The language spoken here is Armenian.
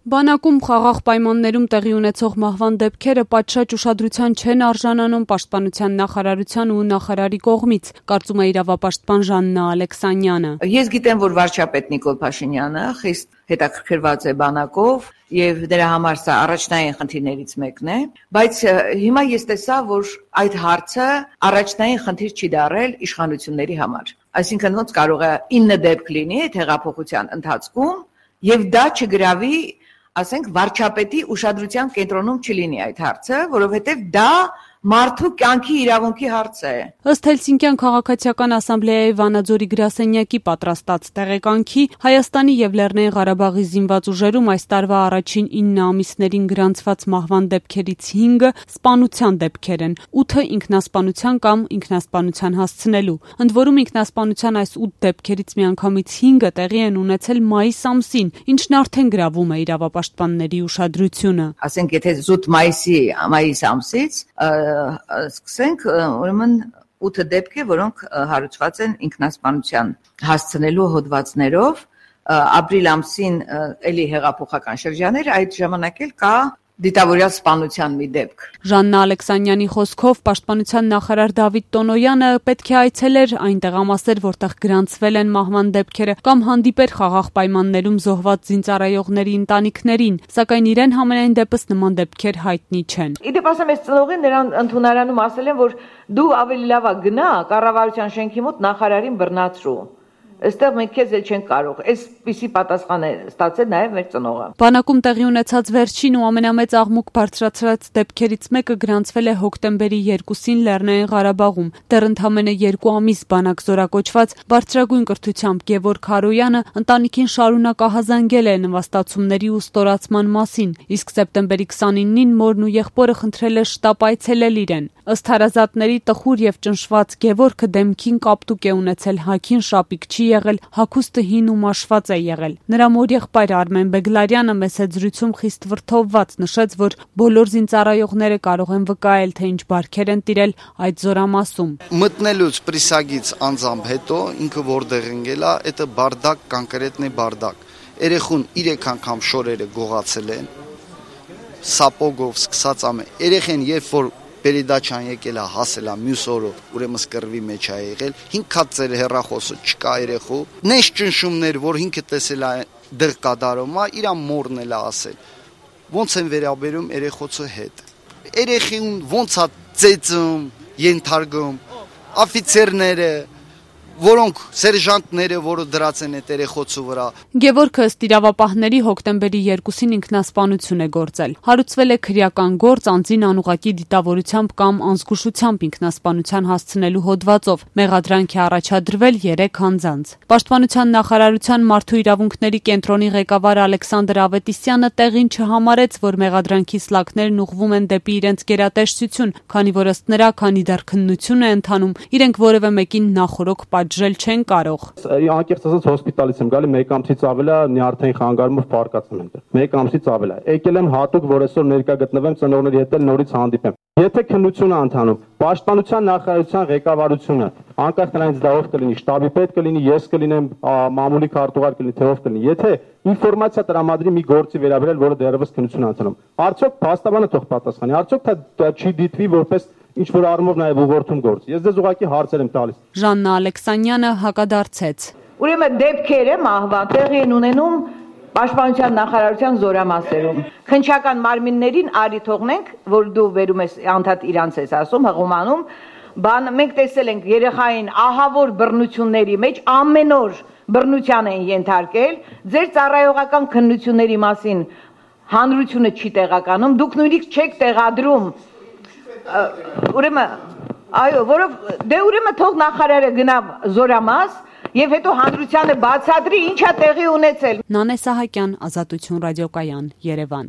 Բանակում խաղաղ պայմաններում տեղի ունեցող մահվան դեպքերը պատշաճ ուշադրության չեն արժանանում Պաշտպանության նախարարության ու նախարարի կողմից, կարծում է իրավապաշտպան Ժաննա Ալեքսանյանը։ Ես գիտեմ, որ վարչապետ Նիկոլ Փաշինյանը խիստ հետաքրքրված է բանակով եւ դրա համար սա առաջնային խնդիրներից մեկն է, բայց հիմա ես տեսա, որ այդ հարցը առաջնային խնդիր չի դառել իշխանությունների համար։ Այսինքն ոնց կարող է 9 դեպք լինի այդ հեղափոխության ընթացքում եւ դա չգրավի, ասենք, վարչապետի ուշադրության կենտրոնում չլինի այդ հարցը, որովհետև դա մարդու կյանքի իրավունքի հարց է։ Ըստ Հելսինկյան քաղաքացիական ասամբլեայի Վանաձորի գրասենյակի պատրաստած տեղեկանքի, Հայաստանի եւ Լեռնային Ղարաբաղի զինված ուժերում այս տարվա առաջին 9 ամիսներին գրանցված մահվան դեպքերից 5-ը սպանության դեպքեր են, 8-ը ինքնասպանության կամ ինքնասպանության հասցնելու։ Ընդ որում ինքնասպանության այս 8 դեպքերից միանգամից 5-ը տեղի են ունեցել մայիս ամսին, ինչն արդեն գրավում է իրավապաշտպանների ուշադրությունը։ Ասենք, եթե զուտ մայիս ամսից սկսենք, ուրեմն 8 դեպք է, որոնք հարուցված են ինքնասպանության հասցնելու հոդվածներով, ապրիլ ամսին էլի հեղափոխական շրջաներ, այդ ժամանակ էլ կա դիտավորյալ սպանության մի դեպք։ Ժաննա Ալեքսանյանի խոսքով Պաշտպանության նախարար Դավիթ Տոնոյանը պետք է այցելեր այն տեղամասեր, որտեղ գրանցվել են մահվան դեպքերը, կամ հանդիպեր խաղաղ պայմաններում զոհված զինծառայողների ընտանիքներին, սակայն իրեն համենայն դեպս նման դեպքեր հայտնի չեն։ Իդեպ ասեմ, ես ծնողին նրան ընդունարանում ասել են, որ դու ավելի լավ գնա կառավարության շենքի մոտ նախարարին բռնացրու։ Այստեղ մենք քեզ էլ չենք կարող։ Այսպիսի պատասխան է ստացել նաև մեր ծնողը։ Բանակում տեղի ունեցած վերջին ու ամենամեծ աղմուկ բարձրացրած դեպքերից մեկը գրանցվել է հոկտեմբերի 2-ին Լեռնային Ղարաբաղում։ Դեռ ընդամենը 2 ամիս բանակ զորակոչված բարձրագույն կրթությամբ Գևորգ Հարոյանը ընտանիքին շարունակ ահազանգել է նվաստացումների ու ստորացման մասին, իսկ սեպտեմբերի 29-ին մորն ու եղբորը խնդրել է շտապ այցելել իրեն։ Ըստ հարազատների տխուր եւ ճնշված Գևորգը դեմքին կապտուկ է ունեցել, հագին շապիկ չի եղել, հագուստը հին ու մաշված է եղել։ Նրա մոր եղբայր Արմեն Բեգլարյանը մեծ զրույցում խիստ վրդովված նշեց, որ բոլոր զինծառայողները կարող են վկայել, թե ինչ բարքեր են տիրել այդ զորամասում։ Մտնելուց պրիսագից անձամբ հետո ինքը որտեղ ընկել է, դա բարդակ, կոնկրետնի բարդակ։ Երեխուն 3 անգամ շորերը գողացել են, սապոգով սկսած ամեն։ Երեխեն երբ որ Պերիդաչան եկել է, հասել է մյուս օրը, ուրեմն սկրվի մեջ է եղել, 5 հատ ծեր հեռախոսը չկա երեխու, նես ճնշումներ, որ ինքը տեսել է դեղ կատարում է, իր մորն էլ է ասել, ոնց են վերաբերում երեխոցը հետ, երեխին ոնց է ծեծում, ենթարկում, աֆիցերները, որոնք սերժանտները, որը դրած են այդ երեխոցու վրա։ Գևորգը ըստ իրավապահների հոկտեմբերի 2-ին ինքնասպանություն է գործել։ Հարուցվել է քրեական գործ անձին անուղղակի դիտավորությամբ կամ անզգուշությամբ ինքնասպանության հասցնելու հոդվածով։ Մեղադրանք է առաջադրվել 3 անձանց։ Պաշտպանության նախարարության մարդու իրավունքների կենտրոնի ղեկավար Ալեքսանդր Ավետիսյանը տեղին չհամարեց, որ մեղադրանքի սլաքներն ուղղվում են դեպի իրենց գերատեսչություն, քանի որ ըստ նրա, քանի դեռ քննություն է ընթանում, իրենք որևէ մեկին նախորոք պատժել չեն կարող։ Անկեղծ ասած հոսպիտալից եմ գալի, 1 ամսից ավել է նյարդային խանգարումով պարկացել եմ։ 1 ամսից ավել է։ Եկել եմ հատուկ, որ այսօր ներկա գտնվեմ ծնողների հետ նորից հանդիպեմ։ Եթե քննություն է ընթանում, Պաշտպանության նախարարության ղեկավարությունը, անկախ նրանից դա ով կլինի, շտաբի պետ կլինի, ես կլինեմ, մամուլի քարտուղար կլինի, թե ով կլինի, եթե ինֆորմացիա տրամադրի մի գործի վերաբերել, որը դեռևս քննություն է ընթանում, արդյոք փաստաբանը թող պատասխանի, արդյոք դա չի դիտվի որպես ինչ որ առումով նաև ուղղորդում գործ։ Ես դες ուղղակի հարցեր եմ տալիս։ Ժաննա Ալեքսանյանը հակադարձեց։ Ուրեմն դեպքերը մահվան տեղի են ունենում Պաշտպանության նախարարության զորամասերում։ Քննչական մարմիններին արի թողնենք, որ դու վերում ես անդադ իրանց ես ասում, հղումանում, մենք տեսել ենք երեխային ահավոր բռնությունների մեջ ամեն օր բռնության են ենթարկել, ձեր ծառայողական քննությունների մասին հանրությունը չի տեղականում, դուք նույնիսկ չեք տեղադրում ուրեմն այո, ուրեմն թող նախարարը գնա զորամաս եւ հետո հանրությանը բացատրի ինչա տեղի ունեցել։ Նանե Սահակյան, Ազատություն ռադիոկայան, Երևան։